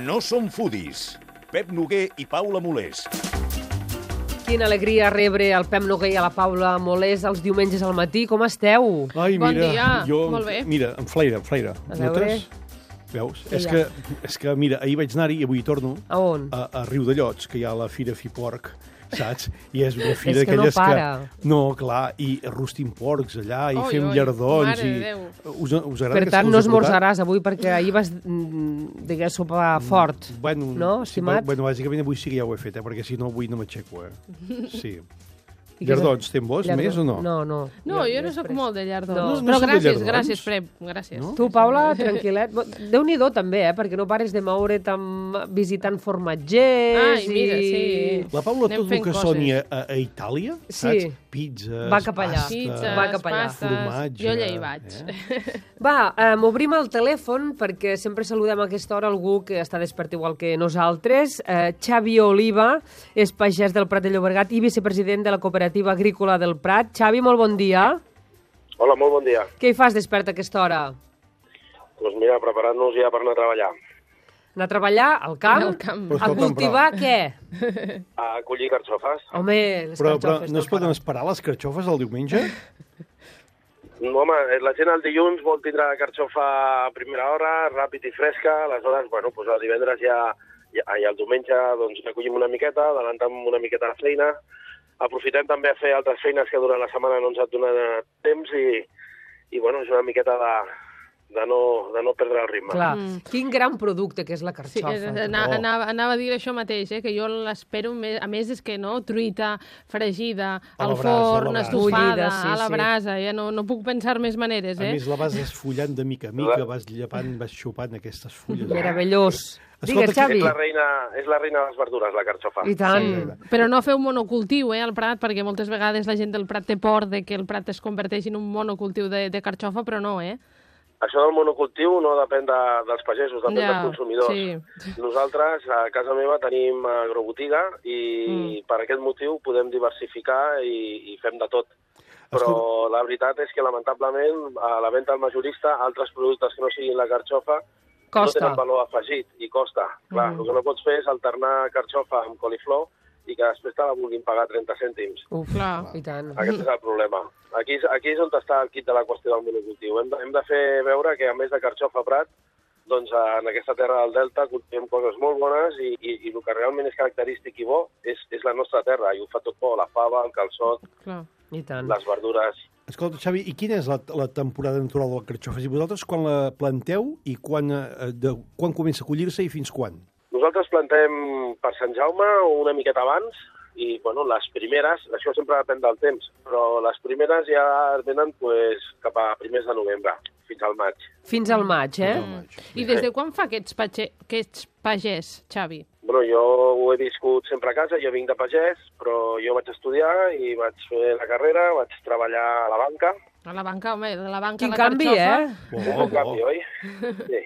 No som foodies. Pep Noguer i Paula Molés. Quina alegria rebre el Pep Noguer i a la Paula Molés els diumenges al matí. Com esteu? Ai, Bon mira, dia, jo, molt bé. Mira, em flaire. A veure. Notes? Veus? És que, mira, ahir vaig anar-hi i avui torno A on? a Riudellots, que hi ha la Fira Fiporc, saps? I és una fira És que no d'aquelles para. No, clar, i rostim porcs allà, i Oi, fem oi, llardons. mare de I... Déu. Us agrada Per que tant, se no us he portat? esmorzaràs avui perquè ahir vas, digues, sopar fort. Bueno, No, sí, estimat? bueno, bàsicament avui sí que ja ho he fet, perquè si no avui no m'aixeco, Sí. I què és- Llardons, tens vos més o no? No. No, jo no sóc molt de llardons. No. No Però sóc de llardons? gràcies, Pep, gràcies. No? Tu, Paula, tranquil·let. Déu-n'hi-do, també, perquè no pares de moure't visitant formatgers Ai, mira, sí. La Paula, Anem tot el fent que coses. soni a Itàlia, Sí. saps? Pizzas, Va cap allà. pasta... Pizzas, Va cap allà. pastes... Formatge, Jo allà hi vaig. Va, obrim el telèfon perquè sempre saludem a aquesta hora algú que està despert igual que nosaltres. Xavi Oliva és pagès del Prat de Llobregat i vicepresident de la Cooperativa Agrícola del Prat. Xavi, molt bon dia. Hola, molt bon dia. Què hi fas despert a aquesta hora? Doncs mira, preparant-nos ja per anar a treballar. Anar a treballar al camp? Al camp. Però A escolta'm, cultivar què? A collir carxofes. Home, les Però carxofes no es poden esperar les carxofes el diumenge? No, home, la gent el dilluns vol tindre la carxofa a primera hora, ràpid i fresca, aleshores, bueno, doncs el divendres i el diumenge doncs ja collim una miqueta, adellantem una miqueta de feina, aprofitem també a fer altres feines que durant la setmana no ens ha donat temps i bueno, és una miqueta de no perdre el ritme. Clar, quin gran producte que és la Sí, carxofa. anava a dir això mateix, que jo l'espero, a més és que no, truita, fregida, A la al brasa, a la forn, brasa. estofada, Bullida, sí, a la sí. brasa, ja no puc pensar més maneres, A més, la vas esfollant de mica a mica, vas llepant, vas xupant aquestes fulles. Meravellós. Digues, Escolta, Xavi. És la reina de les verdures, la carxofa. I tant. Però no feu monocultiu, al Prat, perquè moltes vegades la gent del Prat té por de que el Prat es converteixi en un monocultiu de carxofa, però no, Això del monocultiu no depèn dels pagesos, depèn dels consumidors. sí. Nosaltres, a casa meva, tenim agrobotiga i per aquest motiu podem diversificar i fem de tot. Però la veritat és que, lamentablement, a la venda al majorista, altres productes que no siguin la carxofa no Costa. tenen valor afegit i costa. Clar, el que no pots fer és alternar carxofa amb coliflor i que després te la vulguin pagar 30 cèntims. Uf, Clar. i tant. Aquest és el problema. Aquí és on està el quid de la qüestió del monocultiu. Hem de fer veure que, a més de carxofa a Prat, doncs en aquesta terra del Delta cultivem coses molt bones i el que realment és característic i bo és la nostra terra, i ho fa tot bo, la fava, el calçot, Clar. I tant. les verdures. Escolta, Xavi, i quina és la temporada natural de la carxofa? I vosaltres quan la planteu i quan comença a collir-se i fins quan? Nosaltres plantem per Sant Jaume una miqueta abans i, bueno, les primeres, això sempre depèn del temps, però les primeres ja venen pues, cap a primers de novembre, fins al maig. Fins al maig, I des de quan fa que ets pagès, Xavi? Bueno, jo ho he viscut sempre a casa, jo vinc de pagès, però jo vaig estudiar i vaig fer la carrera, vaig treballar a la banca. A la banca, home, de la banca Quin a la canvi, carxofa. Un canvi, oi? Sí.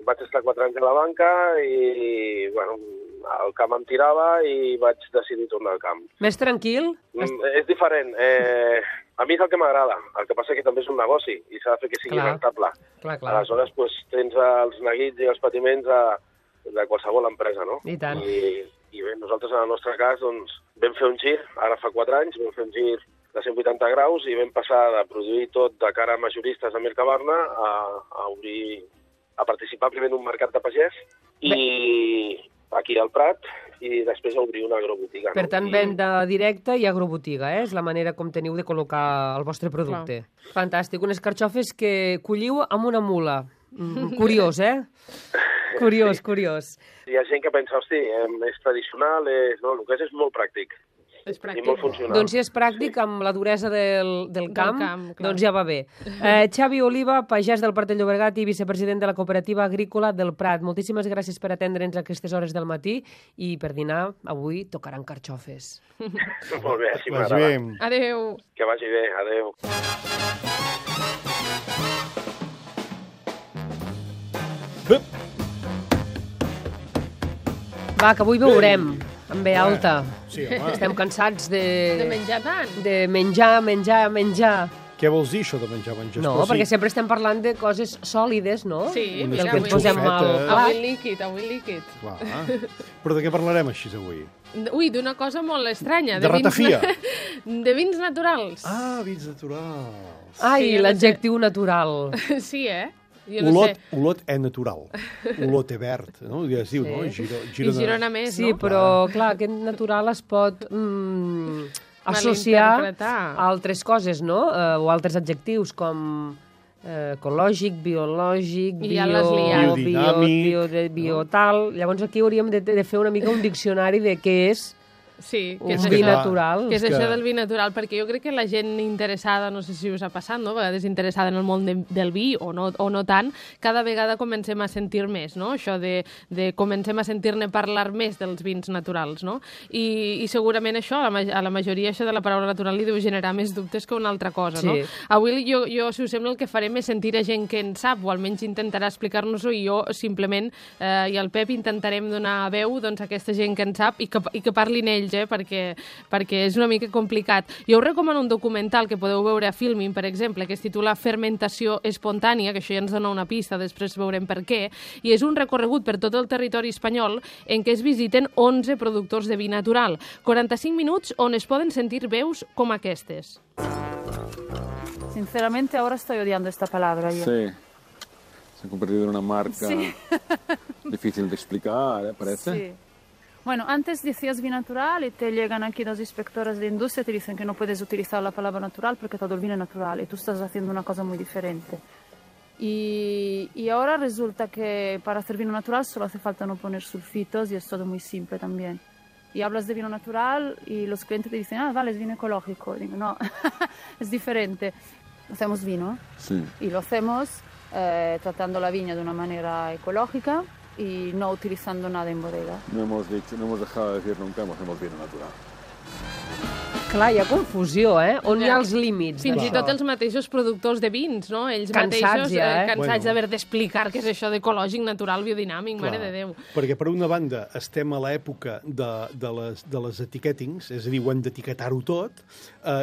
Vaig estar 4 anys a la banca i, bueno, el camp em tirava i vaig decidir tornar al camp. Més tranquil? És diferent. A mi és el que m'agrada. El que passa que també és un negoci i s'ha de fer que sigui Clar. rentable. Clar. Aleshores, pues, tens els neguits i els patiments de qualsevol empresa, no? I tant. I bé, nosaltres, en el nostre cas, doncs, vam fer un gir, ara fa 4 anys, vam fer un gir de 180 graus i vam passar de produir tot de cara a majoristes a Mercabarna a participar primer en un mercat de pagès i aquí al Prat i després a obrir una agrobotiga. Per tant, venda directa i agrobotiga, és la manera com teniu de col·locar el vostre producte. Fantàstic. Unes carxofes que colliu amb una mula. Curiós, Curiós. Hi ha gent que pensa, hosti, és tradicional, no, el que és molt pràctic. És I pràctic. molt funcional. Doncs si és pràctic, amb la duresa del camp, camp, clar. doncs ja va bé. Xavi Oliva, pagès del Prat de Llobregat i vicepresident de la Cooperativa Agrícola del Prat. Moltíssimes gràcies per atendre'ns a aquestes hores del matí i per dinar avui tocaran carxofes. Molt bé, així Vagi m'agrada. bé. Adéu. Que vagi bé, adéu. Va, que avui veurem, amb B alta. Sí, home. Estem cansats De menjar tant. de menjar. Què vols dir, això de menjar? No, perquè sempre estem parlant de coses sòlides, no? Sí, Del mira, que ens posem al avui plat. líquid. Clar. Però de què parlarem així avui? Ui, d'una cosa molt estranya. De ratafia. De vins naturals. Ah, vins naturals. Ai, Sí, l'adjectiu natural. Sí, Jo no sé. Olot és natural. Olot és verd, no? Ja es diu, no? I Girona més, Sí, no? però, clar, aquest natural es pot associar Malinterpretar. a altres coses, no? O altres adjectius, com ecològic, biològic, I ja l'has liat. bio tal... Llavors aquí hauríem de fer una mica un diccionari de què és Sí, un vi natural. Que és això del vi natural, perquè jo crec que la gent interessada, no sé si us ha passat, no? A vegades interessada en el món del vi, o no tant, cada vegada comencem a sentir més, no? Això de comencem a sentir-ne parlar més dels vins naturals, no? I segurament això, a la majoria això de la paraula natural li deu generar més dubtes que una altra cosa, no? Sí. Avui jo, si us sembla, el que farem és sentir a gent que en sap, o almenys intentarà explicar-nos-ho, i jo simplement, i el Pep, intentarem donar veu doncs, a aquesta gent que en sap i que parlin ells, perquè és una mica complicat. Jo us recomano un documental que podeu veure a Filmin, per exemple, que es titula Fermentació espontània, que això ja ens dona una pista, després veurem per què, i és un recorregut per tot el territori espanyol en què es visiten 11 productors de vi natural. 45 minuts on es poden sentir veus com aquestes. Sinceramente ahora estoy odiando esta palabra yo. Sí, se ha convertido en una marca difícil de explicar, parece. Sí. Bueno, antes decías vino natural y te llegan aquí dos inspectores de industria y te dicen que no puedes utilizar la palabra natural porque todo el vino es natural y tú estás haciendo una cosa muy diferente. Y ahora resulta que para hacer vino natural solo hace falta no poner sulfitos y es todo muy simple también. Y hablas de vino natural y los clientes te dicen, vale, es vino ecológico. Y digo, no, es diferente. Hacemos vino y lo hacemos tratando la viña de una manera ecológica y no utilizando nada en bodega. No hemos dejado de decir nunca, hacemos vino natural. Clar, hi ha confusió, On hi ha els límits Fins i d'això? tot els mateixos productors de vins, no? Ells Cansats mateixos ja, cansats d'haver d'explicar què és això d'ecològic, natural, biodinàmic, mare de Déu. Perquè per una banda estem a l'època de les etiquetings, és a dir, ho hem d'etiquetar-ho tot,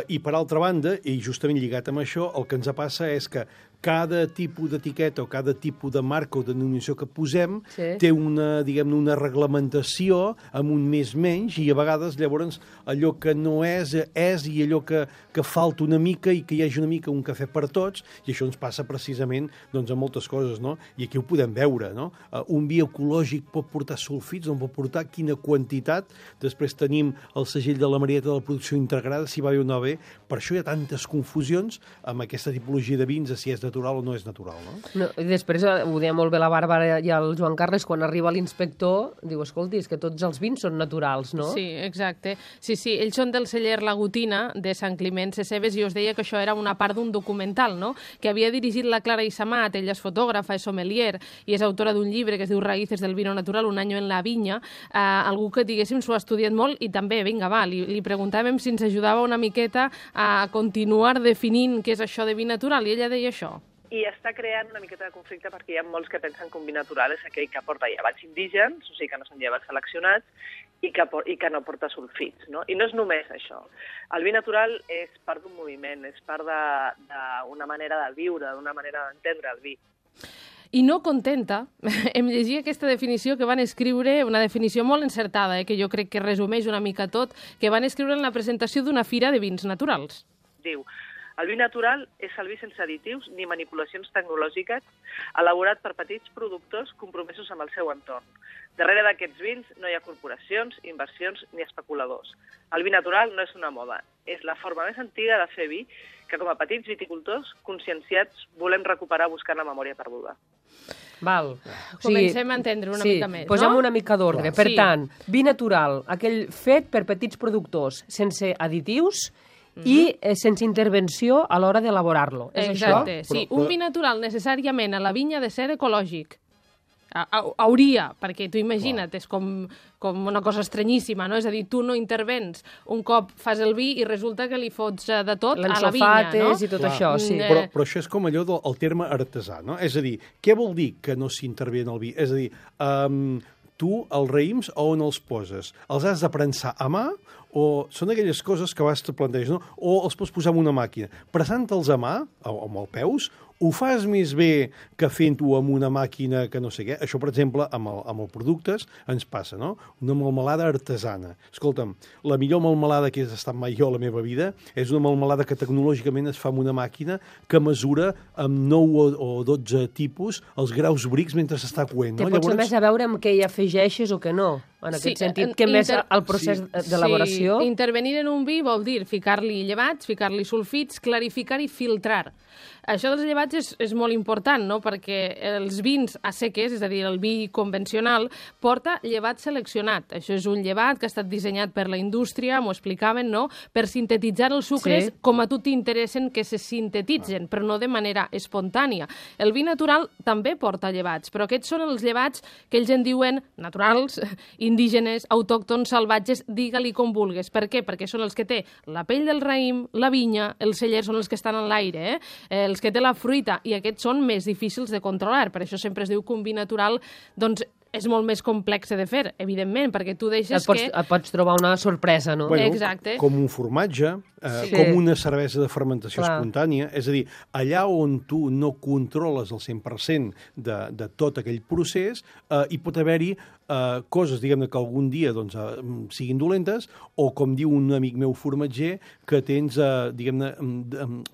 i per altra banda, i justament lligat amb això, el que ens passa és que cada tipus d'etiqueta o cada tipus de marca o denominació que posem té una, diguem-ne, una reglamentació amb un més menys i a vegades llavors allò que no és i allò que falta una mica i que hi hagi una mica un cafè per tots i això ens passa precisament doncs, a moltes coses, no? I aquí ho podem veure, no? Un vi ecològic pot portar sulfits, no pot portar quina quantitat, després tenim el segell de la Marieta de la producció integrada, si va bé o no bé, per això hi ha tantes confusions amb aquesta tipologia de vins, si és natural o no és natural, no? I després ho deia molt bé la Bàrbara i el Joan Carles, quan arriba l'inspector, diu, escolti, és que tots els vins són naturals, no? Sí, exacte. Sí, ells són del celler La Gotina, de Sant Climent Sescebes, i us deia que això era una part d'un documental, no?, que havia dirigit la Clara Issamat. Ella és fotògrafa, és sommelier, i és autora d'un llibre que es diu Raíces del vino natural, un año en la vinya. Algú que, diguéssim, s'ho ha estudiat molt, i també, vinga, va, li preguntàvem si ens ajudava una miqueta a continuar definint què és això de vi natural, i ella deia això. I està creant una miqueta de conflicte perquè hi ha molts que pensen que un vi natural és aquell que porta llevats indígens, o sigui que no són llevats seleccionats, i que no porta sulfits, no? I no és només això. El vi natural és part d'un moviment, és part d'una manera de viure, d'una manera d'entendre el vi. I no contenta, em llegia aquesta definició que van escriure, una definició molt encertada, que jo crec que resumeix una mica tot, que van escriure en la presentació d'una fira de vins naturals. Diu, el vi natural és el vi sense additius ni manipulacions tecnològiques, elaborat per petits productors compromesos amb el seu entorn. Darrere d'aquests vins no hi ha corporacions, inversions ni especuladors. El vi natural no és una moda, és la forma més antiga de fer vi que com a petits viticultors conscienciats volem recuperar buscant la memòria perduda. Val. Comencem a entendre una mica més, no? Posem una mica d'ordre. Per tant, vi natural, aquell fet per petits productors, sense additius i sense intervenció a l'hora d'elaborar-lo. És això? Exacte, sí. Un vi natural necessàriament a la vinya ha de ser ecològic. Hauria, perquè tu imagina't, és com una cosa estranyíssima, no? És a dir, tu no intervens, un cop fas el vi i resulta que li fots de tot a la vinya, no? I tot això, sí. Però això és com allò del terme artesà, no? És a dir, què vol dir que no s'intervé en el vi? És a dir, tu els raïms a on els poses? Els has de prensar a mà o són aquelles coses que vas te planteges, no? O els pots posar en una màquina. Pressant-te'ls a mà, o amb els peus, ho fas més bé que fent-ho amb una màquina que no sé què. Això, per exemple, amb els productes ens passa, no? Una melmelada artesana. Escolta'm, la millor melmelada que he estat mai jo a la meva vida és una melmelada que tecnològicament es fa amb una màquina que mesura amb 9 o 12 tipus els graus brics mentre s'està coent. Té potser més a veure amb què hi afegeixes o què no. En aquest sentit, que més el procés d'elaboració... Sí, intervenir en un vi vol dir ficar-li llevats, ficar-li sulfits, clarificar i filtrar. Això dels llevats és molt important, no? Perquè els vins a seques, és a dir, el vi convencional, porta llevat seleccionat. Això és un llevat que ha estat dissenyat per la indústria, m'ho explicaven, no? Per sintetitzar els sucres com a tu t'interessen que se sintetitzen, però no de manera espontània. El vi natural també porta llevats, però aquests són els llevats que ells en diuen naturals, indígenes, autòctons, salvatges, digue-li com vulgues. Per què? Perquè són els que té la pell del raïm, la vinya, els cellers són els que estan en l'aire, els que té la fruita, i aquests són més difícils de controlar. Per això sempre es diu que un vi natural doncs, és molt més complex de fer, evidentment, perquè tu deixes et pots trobar una sorpresa, no? Bueno, exacte. Com un formatge, com una cervesa de fermentació espontània, és a dir, allà on tu no controles el 100% de tot aquell procés, hi pot haver-hi coses, diguem-ne, que algun dia doncs, siguin dolentes, o, com diu un amic meu formatger, que tens, diguem-ne,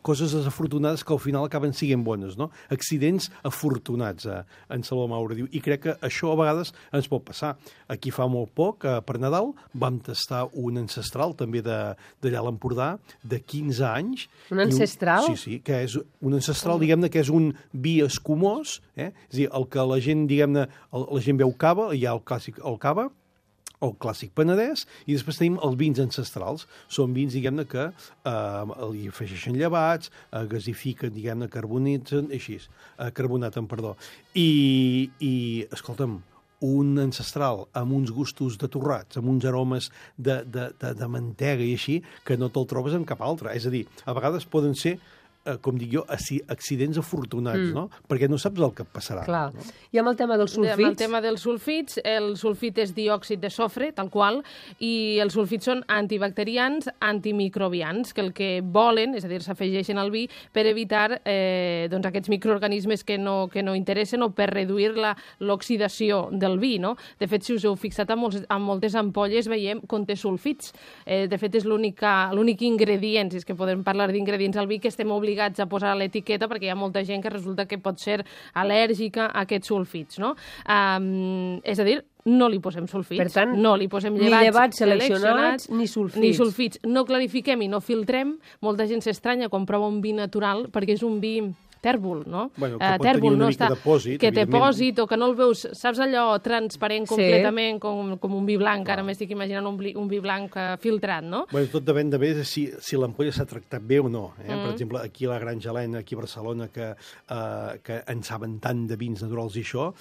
coses desafortunades que al final acaben siguent bones, no? Accidents afortunats, en Salvador Maura diu. I crec que això a vegades ens pot passar. Aquí fa molt poc, per Nadal, vam tastar un ancestral, també d'allà a l'Empordà, de 15 anys. Un ancestral? Sí, que és un ancestral, diguem-ne, que és un vi escumós, és a dir, el que la gent, diguem-ne, la gent veu cava, hi ha el clàssic el cava, el clàssic penedès, i després tenim els vins ancestrals. Són vins, diguem-ne, que hi afegeixen llevats, gasifiquen, diguem-ne, carbonaten, perdó. I escolta'm, un ancestral amb uns gustos de torrats, amb uns aromes de mantega i així, que no te'l trobes en cap altre. És a dir, a vegades poden ser, com dic jo, accidents afortunats, no? Perquè no saps el que et passarà. Clar. No? I amb el tema dels sulfits? Amb el tema dels sulfits, el sulfit és diòxid de sofre, tal qual, i els sulfits són antibacterians, antimicrobians, que el que volen, és a dir, s'afegeixen al vi per evitar doncs, aquests microorganismes que no interessen o per reduir l'oxidació del vi, no? De fet, si us heu fixat, en moltes ampolles veiem conté sulfits. De fet, és l'únic ingredient, si és que podem parlar d'ingredients al vi, que estem obligats a posar a l'etiqueta, perquè hi ha molta gent que resulta que pot ser al·lèrgica a aquests sulfits, no? És a dir, no li posem sulfits, per tant, no li posem llevats seleccionats, ni sulfits. No clarifiquem i no filtrem. Molta gent s'estranya quan prova un vi natural, perquè és un vi tèrbol, no? Bueno, que pot tenir una mica de pòsit, que té pòsit, o que no el veus, saps allò transparent completament, com un vi blanc, ara m'estic imaginant un vi blanc filtrat, no? Bueno, tot depèn de bé si l'ampolla s'ha tractat bé o no. Per exemple, aquí a la Granja Helena, aquí a Barcelona, que en saben tant de vins naturals i això,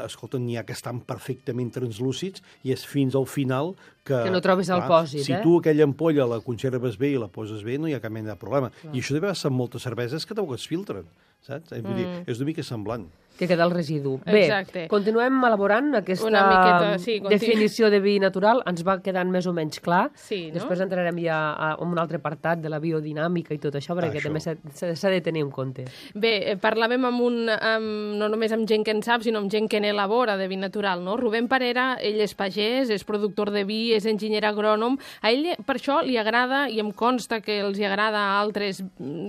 escolta, n'hi ha que estan perfectament translúcids i és fins al final que no trobes el pòsit, si tu aquella ampolla la conserves bé i la poses bé, no hi ha cap mena de problema. I això deve ser amb moltes cerveses que tampoc es filtren, saps? Vull dir, és una mica semblant. Que queda el residu. Exacte. Bé, continuem elaborant aquesta definició de vi natural. Ens va quedant més o menys clar. Sí, no? Després entrarem ja en un altre apartat de la biodinàmica i tot això, perquè també s'ha de tenir en compte. Bé, parlàvem no només amb gent que en sap, sinó amb gent que n'elabora de vi natural, no? Rubén Parera, ell és pagès, és productor de vi, és enginyer agrònom. A ell per això li agrada, i em consta que els agrada a altres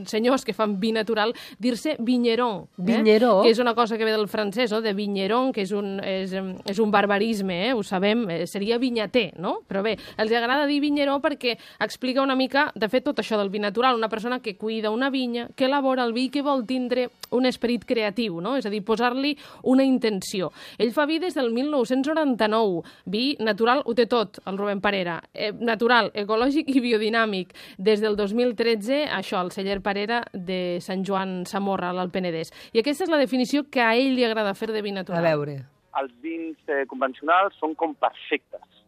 senyors que fan vi natural, dir-se vigneron. Vigneró? Que és una cosa que ve del francès, no? De vigneron, que és un barbarisme, ho sabem, seria vinyater, no? Però bé, els agrada dir vigneró perquè explica una mica, de fet, tot això del vi natural, una persona que cuida una vinya, que elabora el vi, que vol tindre un esperit creatiu, no? És a dir, posar-li una intenció. Ell fa vi des del 1999, vi natural, ho té tot, el Rubén Parera, natural, ecològic i biodinàmic. Des del 2013, això, el celler Parera de Sant Joan Samorra, a l'Alt Penedès. I aquesta és la definició que a ell li agrada fer de vi natural. A veure. Els vins convencionals són com perfectes,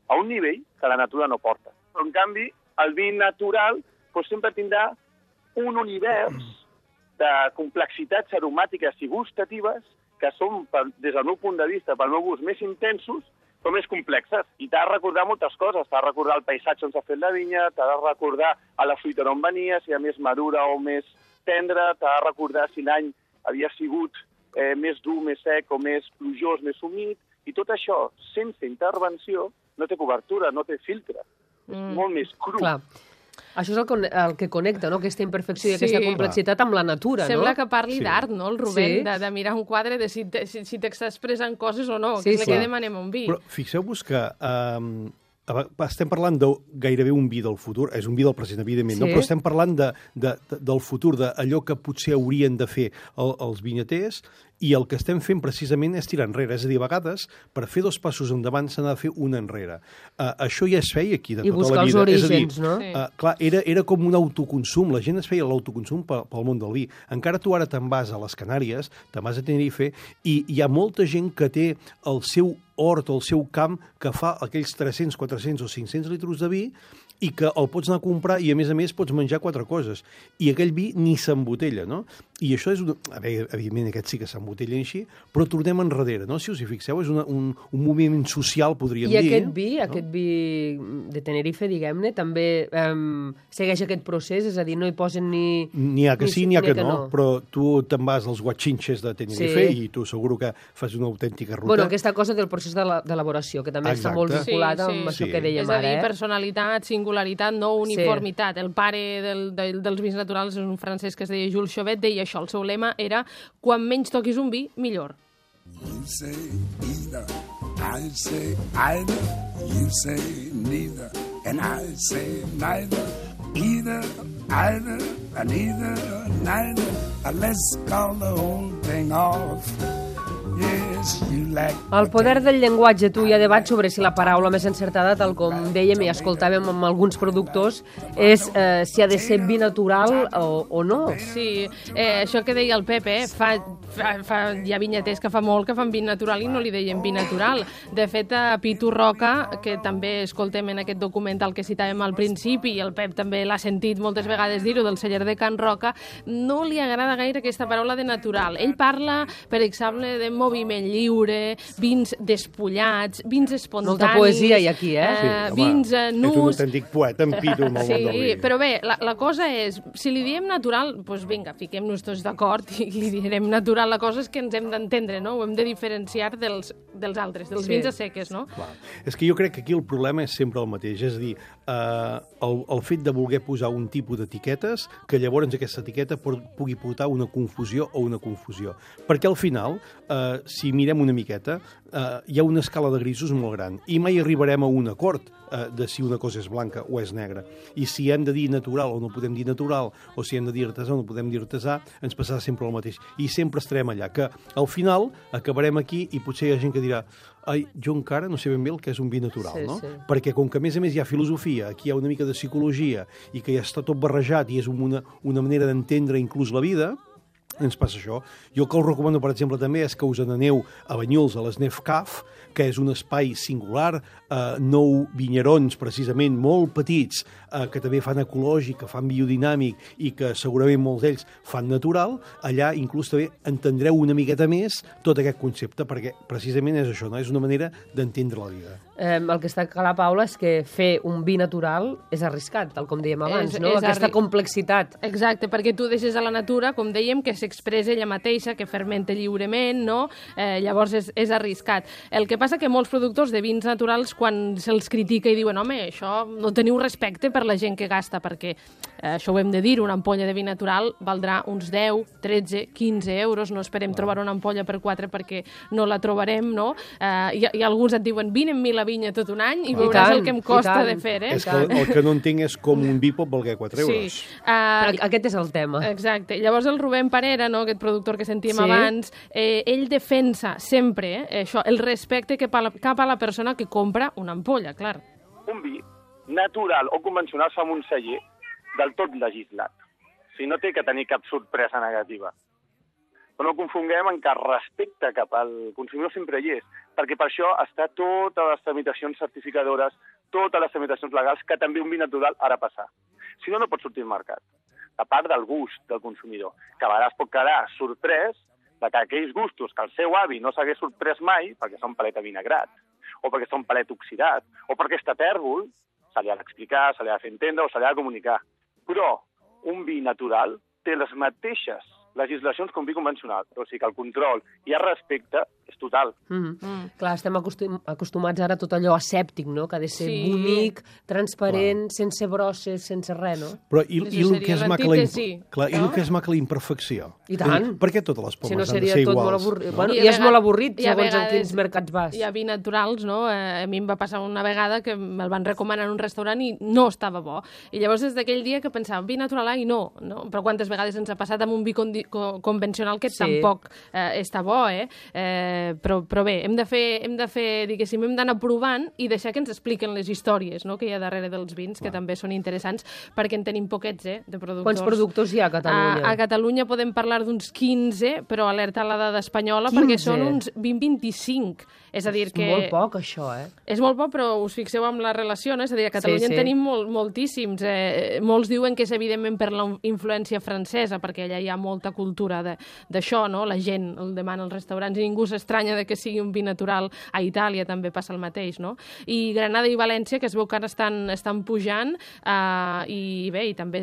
a un nivell que la natura no porta. Però, en canvi, el vi natural sempre tindrà un univers de complexitats aromàtiques i gustatives que són, des del meu punt de vista, pel meu gust, més intensos, però més complexes. I t'ha de recordar moltes coses. T'ha de recordar el paisatge on s'ha fet la vinya, t'ha de recordar a la fruita d'on venia, si hi ha més madura o més tendra, t'ha de recordar si l'any havia sigut més dur, més sec o més plujós, més humit, i tot això, sense intervenció, no té cobertura, no té filtre. És molt més cru. Clar. Això és el que connecta, no? Aquesta imperfecció i aquesta complexitat amb la natura, no? Sembla que parli d'art, no, el Rubén? De mirar un quadre de si t'està expressant coses o no, que és el que demanem a un vi. Però fixeu-vos que estem parlant de gairebé un vi del futur, és un vi del present, evidentment, no? Però estem parlant del futur, d'allò que potser haurien de fer els vinyaters, i el que estem fent precisament és tirar enrere. És a dir, a vegades, per fer 2 passos endavant s'ha de fer un enrere. Això ja es feia aquí de tota la vida. I buscar els orígens, no? Clar, era com un autoconsum. La gent es feia l'autoconsum pel món del vi. Encara tu ara te'n vas a les Canàries, te'n vas a Tenerife, i hi ha molta gent que té el seu hort o el seu camp que fa aquells 300, 400 o 500 litres de vi i que el pots anar a comprar i, a més, pots menjar 4 coses. I aquell vi ni s'embotella, no? I això és... Evidentment, aquest sí que s'embotella així, però tornem enrere, no? Si us hi fixeu, és un moviment social, podríem dir. I aquest vi de Tenerife, diguem-ne, també segueix aquest procés? És a dir, no hi posen ni... N'hi ha que sí, n'hi ha que no, però tu te'n vas als guachinches de Tenerife i tu seguro que fas una autèntica ruta. Bueno, aquesta cosa del procés d'elaboració, que també està molt vinculada amb això que dèiem ara. És a dir, personalitat, singularitat, no uniformitat. El pare dels vins naturals és un francès que es deia Jules Chauvet, deia això, el seu lema era quan menys toquis un vi, millor. You say either, I say either, you say neither, and I say neither, either, either, and either, neither, let's call the whole thing off. El poder del llenguatge. Tu hi ha debat sobre si la paraula més encertada, tal com dèiem i escoltàvem amb alguns productors, és si ha de ser vi natural o no. Sí, això que deia el Pep, hi ha vinyaters que fa molt que fan vi natural i no li deien vi natural. De fet, a Pitu Roca, que també escoltem en aquest documental que citàvem al principi, i el Pep també l'ha sentit moltes vegades dir-ho, del celler de Can Roca, no li agrada gaire aquesta paraula de natural. Ell parla, per exemple, de moviment lliure, vins despullats, vins espontanis... Molta poesia hi aquí, vins nus... És un autèntic poeta, en Pitu, amb el món del vi. Però bé, la cosa és, si li diem natural, doncs vinga, fiquem-nos tots d'acord i li direm natural. La cosa és que ens hem d'entendre, no? Ho hem de diferenciar dels altres, dels vins a seques, no? Clar. És que jo crec que aquí el problema és sempre el mateix, és a dir, el fet de voler posar un tipus d'etiquetes que llavors aquesta etiqueta pugui portar una confusió o una confusió. Perquè al final, si mirem una miqueta, hi ha una escala de grisos molt gran i mai arribarem a un acord de si una cosa és blanca o és negra. I si hem de dir natural o no podem dir natural, o si hem de dir artesà o no podem dir artesà, ens passarà sempre el mateix. I sempre estarem allà, que al final acabarem aquí i potser hi ha gent que dirà jo encara no sé ben bé el que és un vi natural, no? Perquè com que a més hi ha filosofia, aquí hi ha una mica de psicologia i que ja està tot barrejat i és una manera d'entendre inclús la vida, ens passa això. Jo el que us recomano, per exemple, també és que us n'aneu a Banyuls, a l'Snef Caf, que és un espai singular, 9 vinyerons, precisament, molt petits, que també fan ecològic, que fan biodinàmic i que segurament molts d'ells fan natural. Allà inclús també entendreu una miqueta més tot aquest concepte, perquè precisament és això, no? És una manera d'entendre la vida. El que està clar, Paula, és que fer un vi natural és arriscat, tal com dèiem abans, no? Aquesta complexitat. Exacte, perquè tu deixes a la natura, com dèiem, que s'expressa ella mateixa, que fermenta lliurement, no? Llavors és arriscat. El que passa que molts productors de vins naturals, quan se'ls critica i diuen home, això no teniu respecte per la gent que gasta, perquè això ho hem de dir, una ampolla de vi natural valdrà uns 10, 13, 15 euros, no esperem trobar una ampolla per 4 perquè no la trobarem, no? I alguns et diuen, vine amb mi la vinya tot un any i veuràs el que em costa de fer, És que el que no entenc és com un vi pot valer 4 euros. Sí, aquest és el tema. Exacte. Llavors el Rubén Parera, no, aquest productor que sentíem abans, ell defensa sempre això, el respecte cap a la persona que compra una ampolla, clar. Un vi natural o convencional fa un celler del tot legislat. O sigui, no té que tenir cap sorpresa negativa. Però no confonguem en que el respecte cap al consumidor sempre hi és, perquè per això està totes les tramitacions certificadores, totes les tramitacions legals que també un vi natural ha de passar. Si no, no pot sortir al mercat. A part del gust del consumidor, que a vegades pot quedar sorprès de que aquells gustos que el seu avi no s'hagués sorprès mai, perquè són palet avinagrat, o perquè són palet oxidat, o perquè està tèrbol, se li ha d'explicar, se li ha de fer entendre o se li ha de comunicar. Però un vi natural té les mateixes legislacions com vi convencional. O sigui que el control i el respecte és total. Clar, estem acostumats ara a tot allò asèptic, no? Que ha de ser bonic, transparent, sense brosses, sense res, no? Però i el que és maca la imperfecció? I tant. Per què totes les pomes han de ser iguals? Si no seria tot molt avorrit. Bueno, i és molt avorrit, segons en quins mercats vas. Hi ha vi naturals, no? A mi em va passar una vegada que me'l van recomanar en un restaurant i no estava bo. I llavors des d'aquell dia que pensàvem, vi natural, i no. Però quantes vegades ens ha passat amb un vi convencional que tampoc està bo, però bé, hem de fer, diguéssim, hem d'anar provant i deixar que ens expliquen les històries, no?, que hi ha darrere dels vins, que també són interessants, perquè en tenim poquets, de productors. Quants productors hi ha a Catalunya? A Catalunya podem parlar d'uns 15, però alerta a la dada espanyola, perquè són uns 20-25. És a dir que... És molt poc, això, És molt poc, però us fixeu amb la relació, no? És a dir, a Catalunya en tenim moltíssims. Molts diuen que és evidentment per la influència francesa, perquè allà hi ha molta cultura d'això, no? La gent el demana als restaurants i ningú s'estranya de que sigui un vi natural. A Itàlia també passa el mateix, no? I Granada i València, que es veu que ara estan pujant, i bé, i també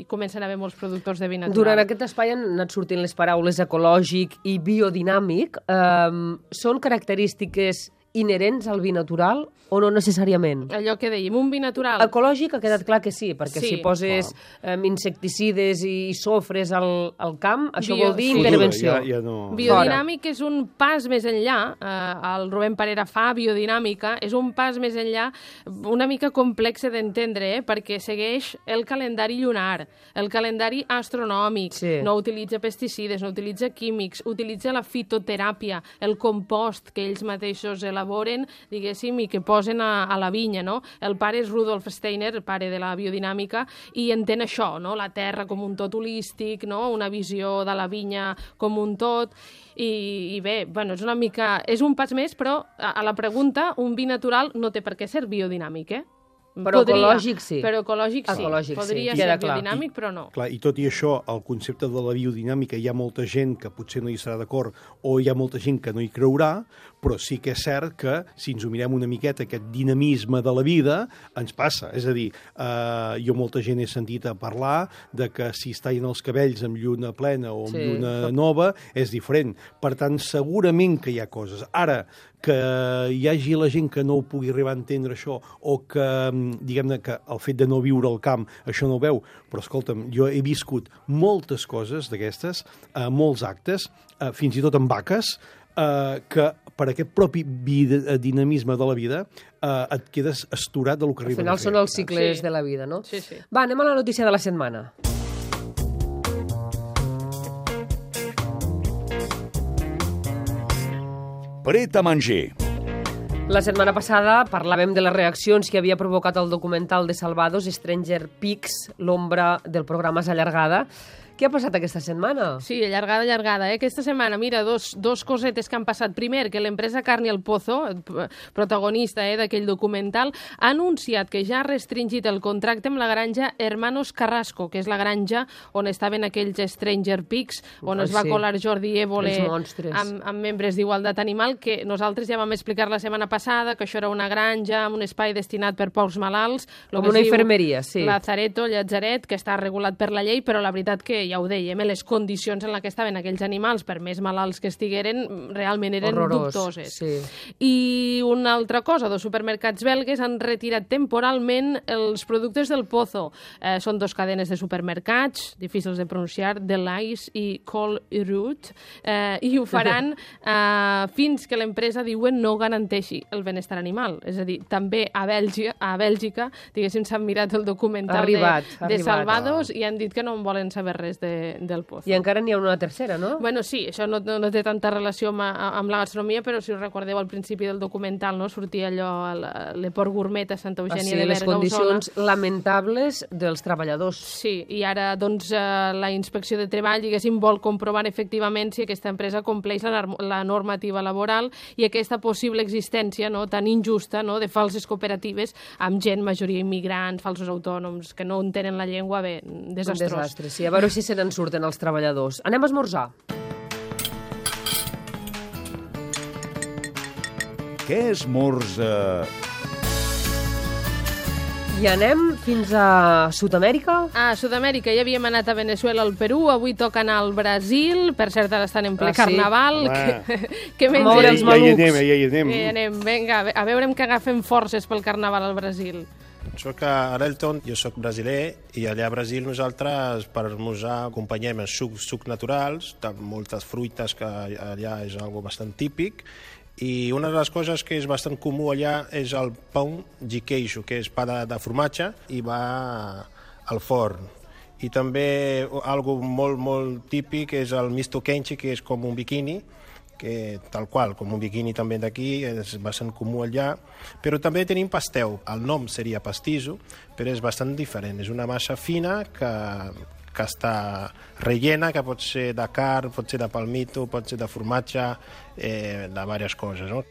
comencen a haver molts productors de vi natural. Durant aquest espai han anat sortint les paraules ecològic i biodinàmic. Són característiques inherents al vi natural o no necessàriament? Allò que dèiem, un vi natural... Ecològic ha quedat clar que sí, perquè si poses insecticides i sofres al camp, això vol dir intervenció. Biodinàmic és un pas més enllà, el Rubén Parera fa biodinàmica, és un pas més enllà, una mica complex d'entendre, perquè segueix el calendari lunar, el calendari astronòmic, no utilitza pesticides, no utilitza químics, utilitza la fitoteràpia, el compost que ells mateixos elaboren, diguéssim, i que posen a la vinya, no? El pare és Rudolf Steiner, el pare de la biodinàmica, i entén això, no? La terra com un tot holístic, no? Una visió de la vinya com un tot, i bé, bueno, és una mica... És un pas més, però a la pregunta, un vi natural no té per què ser biodinàmic, Però ecològic sí. Però ecològic sí. Podria ser biodinàmic, però no. Clar, i tot i això, el concepte de la biodinàmica hi ha molta gent que potser no hi estarà d'acord o hi ha molta gent que no hi creurà, però sí que és cert que, si ens ho mirem una miqueta, aquest dinamisme de la vida ens passa. És a dir, jo molta gent he sentit a parlar de que si es tallen els cabells amb lluna plena o amb lluna nova és diferent. Per tant, segurament que hi ha coses. Ara, que hi hagi la gent que no ho pugui arribar a entendre això o que, diguem-ne, que el fet de no viure al camp això no ho veu, però escolta'm, jo he viscut moltes coses d'aquestes, molts actes, fins i tot amb vaques, que per aquest propi dinamisme de la vida et quedes asturat del que arriba a fer. Al final són els cicles de la vida, no? Sí, sí. Va, anem a la notícia de la setmana. Pret a manger. La setmana passada parlàvem de les reaccions que havia provocat el documental de Salvados, Stranger Pigs, l'ombra del programa és allargada. Què ha passat aquesta setmana? Sí, allargada. Aquesta setmana, mira, dos cosetes que han passat. Primer, que l'empresa Carne al Pozo, protagonista d'aquell documental, ha anunciat que ja ha restringit el contracte amb la granja Hermanos Carrasco, que és la granja on estaven aquells Stranger Pigs, on es va colar Jordi Évole amb membres d'Igualtat Animal, que nosaltres ja vam explicar la setmana passada, que això era una granja amb un espai destinat per pocs malalts. Com una infermeria, sí. Lazareto, llatzeret, que està regulat per la llei, però la veritat que ja ho dèiem, les condicions en què estaven aquells animals, per més malalts que estigueren, realment eren dubtoses. Sí. I una altra cosa, dos supermercats belgues han retirat temporalment els productes del Pozo. Són dos cadenes de supermercats, difícils de pronunciar, Delhaize i Colruyt, i ho faran fins que l'empresa, diuen, no garanteixi el benestar animal. És a dir, també a Bèlgica, diguéssim, s'han mirat el documental de Salvados i han dit que no en volen saber res del Pozo. I encara n'hi ha una tercera, no? Bueno, sí, això no té tanta relació amb la gastronomia, però si us recordeu al principi del documental, no sortia allò, le Port Gourmet a Santa Eugènia de Berga, les condicions lamentables dels treballadors. Sí, i ara, doncs, la Inspecció de Treball, diguéssim, vol comprovar efectivament si aquesta empresa compleix la normativa laboral i aquesta possible existència, no, tan injusta, no, de falses cooperatives amb gent, majoria immigrants, falsos autònoms, que no entenen la llengua, bé, desastrós. Sí, a veure si se n'en surten els treballadors. Anem a esmorzar. què esmorza? I anem fins a Sud-amèrica? A Sud-amèrica ja havíem anat a Venezuela, al Perú, avui toca anar al Brasil, per cert ara estan en ple carnaval. Que menys moure els malucs. Ja hi anem. Ja anem, vinga, a veure que agafem forces pel carnaval al Brasil. Soc a Arelton, jo soc brasiler, i allà a Brasil nosaltres per esmorzar acompanyem els sucs naturals, de moltes fruites, que allà és algo bastant típic, i una de les coses que és bastant comú allà és el pão de queijo, que és pa de formatge i va al forn. I també algo molt típic és el misto quente, que és com un biquini, que tal qual, com un biquini també d'aquí, és bastant comú allà, però també tenim pastel. El nom seria pastiso, però és bastant diferent. És una massa fina que està rellena, que pot ser de carn, pot ser de palmito, pot ser de formatge, de diverses coses, no?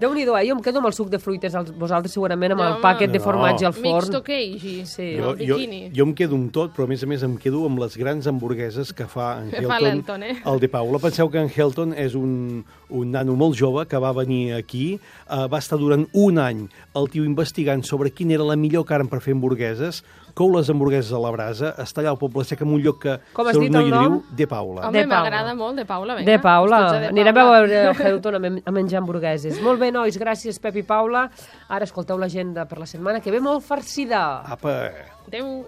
Déu-n'hi-do, jo em quedo amb el suc de fruites, vosaltres segurament amb el pàquet de formatge al forn. Mixto queijo, sí. Jo em quedo amb tot, però a més em quedo amb les grans hamburgueses que fa en Helton, el de Paula. Penseu que en Helton és un nano molt jove que va venir aquí, va estar durant un any el tio investigant sobre quina era la millor carn per fer hamburgueses, cou les hamburgueses a la brasa, està allà al Poble Sec en un lloc que com has dit el nom? De Paula. Home, m'agrada molt, de Paula, vinga. De Paula. Anirem a veure el Helton a menjar hamburgueses. Molt bé, nois, gràcies, Pep i Paula. Ara escolteu l'agenda per la setmana que ve molt farcida. Apa! Adéu.